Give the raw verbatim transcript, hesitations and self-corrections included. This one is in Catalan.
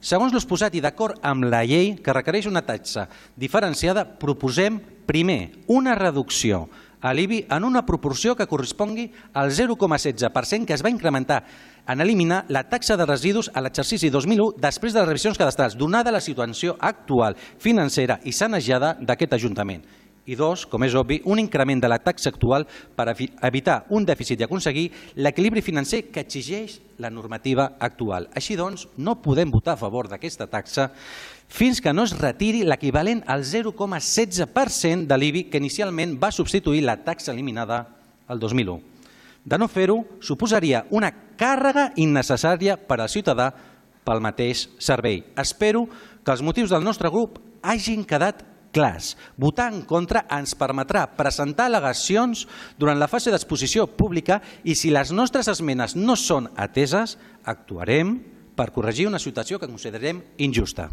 Segons l'exposat i d'acord amb la llei que requereix una taxa diferenciada, proposem, primer, una reducció a l'I B I en una proporció que correspongui al zero coma setze per cent que es va incrementar en eliminar la taxa de residus a l'exercici dos mil u després de les revisions cadastrals, donada la situació actual financera i sanejada d'aquest Ajuntament. I dos, com és obvi, un increment de la taxa actual per evitar un dèficit i aconseguir l'equilibri financer que exigeix la normativa actual. Així doncs, no podem votar a favor d'aquesta taxa fins que no es retiri l'equivalent al zero coma setze per cent de l'I B I que inicialment va substituir la taxa eliminada el dos mil u. De no fer-ho, suposaria una càrrega innecessària per al ciutadà pel mateix servei. Espero que els motius del nostre grup hagin quedat clars. Votar en contra ens permetrà presentar al·legacions durant la fase d'exposició pública i si les nostres esmenes no són ateses, actuarem per corregir una situació que considerem injusta.